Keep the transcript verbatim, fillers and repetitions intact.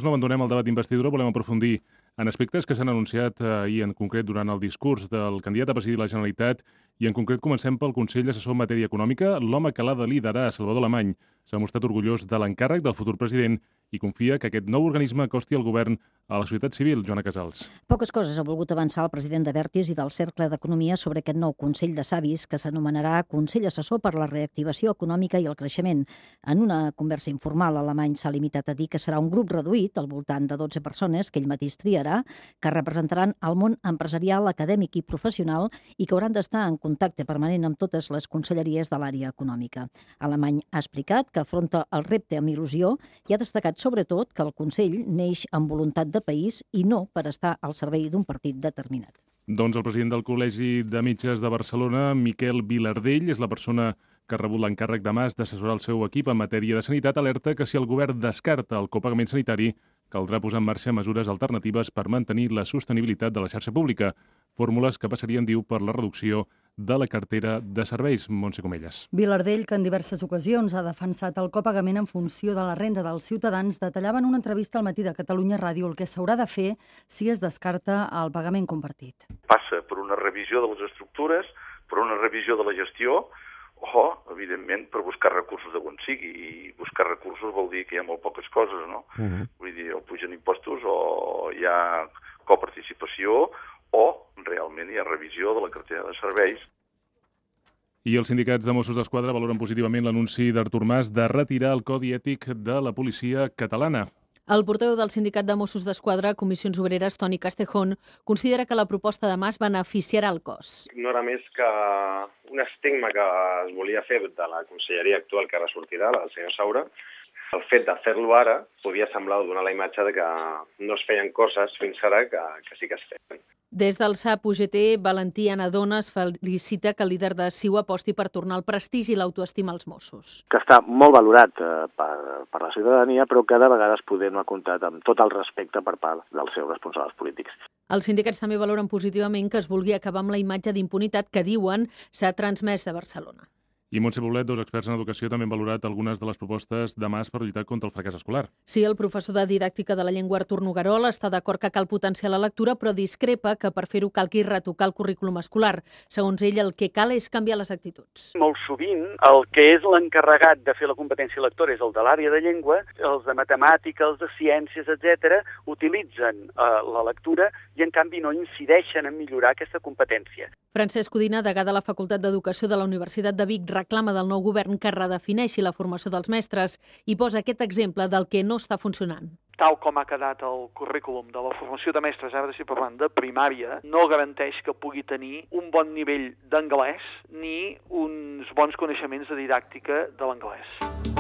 No abandonem el debat d'investidura, volem aprofundir en aspectes que s'han anunciat ahir en concret durant el discurs del candidat a presidir la Generalitat i en concret comencem pel Consell Assessor en Matèria Econòmica. L'home que l'ha de liderar, Salvador Alemany, s'ha mostrat orgullós de l'encàrrec del futur president i confia que aquest nou organisme acosti el govern a la societat civil. Joana Casals. Poques coses ha volgut avançar el president d'Abertis i del Cercle d'Economia sobre aquest nou Consell de Savis que s'anomenarà Consell Assessor per la Reactivació Econòmica i el Creixement. En una conversa informal, Alemany s'ha limitat a dir que serà un grup reduït, al voltant de dotze persones, que ell mateix triarà, que representaran el món empresarial, acadèmic i professional i que hauran d'estar en contacte permanent amb totes les conselleries de l'àrea econòmica. Alemany ha explicat que afronta el repte amb il·lusió i ha destacat sobretot que el Consell neix amb voluntat de país i no per estar al servei d'un partit determinat. Doncs el president del Col·legi de Metges de Barcelona, Miquel Vilardell, és la persona que ha rebut l'encàrrec de Mas d'assessorar el seu equip en matèria de sanitat, alerta que si el govern descarta el copagament sanitari, caldrà posar en marxa mesures alternatives per mantenir la sostenibilitat de la xarxa pública, fórmules que passarien, diu, per la reducció de la cartera de serveis. Montse Comelles. Vilardell, que en diverses ocasions ha defensat el copagament en funció de la renda dels ciutadans, detallava en una entrevista al Matí de Catalunya Ràdio el que s'haurà de fer si es descarta el pagament compartit. Passa per una revisió de les estructures, per una revisió de la gestió, o, evidentment, per buscar recursos de on sigui. I buscar recursos vol dir que hi ha molt poques coses, no? Uh-huh. Vull dir, o pugen impostos, o hi ha coparticipació, o realment hi ha revisió de la cartera de serveis. I els sindicats de Mossos d'Esquadra valoren positivament l'anunci d'Artur Mas de retirar el codi ètic de la policia catalana. El portaveu del Sindicat de Mossos d'Esquadra, Comissions Obreres, Toni Castejón, considera que la proposta de Mas beneficiarà el cos. No era més que un estigma que es volia fer de la conselleria actual que ara sortirà, la del senyor Saura. El fet de fer-lo ara podia semblar donar la imatge de que no es feien coses fins ara que, que sí que es feien. Des del S A P U G T, Valentí Anadones felicita que el líder de C I U aposti per tornar el prestigi i l'autoestima als Mossos. Que està molt valorat eh, per, per la ciutadania, però que de vegades poder no ha comptat amb tot el respecte per part dels seus responsables polítics. Els sindicats també valoren positivament que es vulgui acabar amb la imatge d'impunitat que diuen s'ha transmès de Barcelona. I Montse Poblet, dos experts en educació, també han valorat algunes de les propostes de Mas per lluitar contra el fracàs escolar. Sí, el professor de didàctica de la llengua Artur Noguerol està d'acord que cal potenciar la lectura, però discrepa que per fer-ho calgui retocar el currículum escolar. Segons ell, el que cal és canviar les actituds. Molt sovint, el que és l'encarregat de fer la competència lectora és el de l'àrea de llengua, els de matemàtica, els de ciències, etcètera, utilitzen eh, la lectura i, en canvi, no incideixen en millorar aquesta competència. Francesc Codina, degà de la Facultat d'Educació de la Universitat de Vic, reclama del nou govern que redefineixi la formació dels mestres i posa aquest exemple del que no està funcionant. Tal com ha quedat el currículum de la formació de mestres, ara si parlant de primària, no garanteix que pugui tenir un bon nivell d'anglès ni uns bons coneixements de didàctica de l'anglès.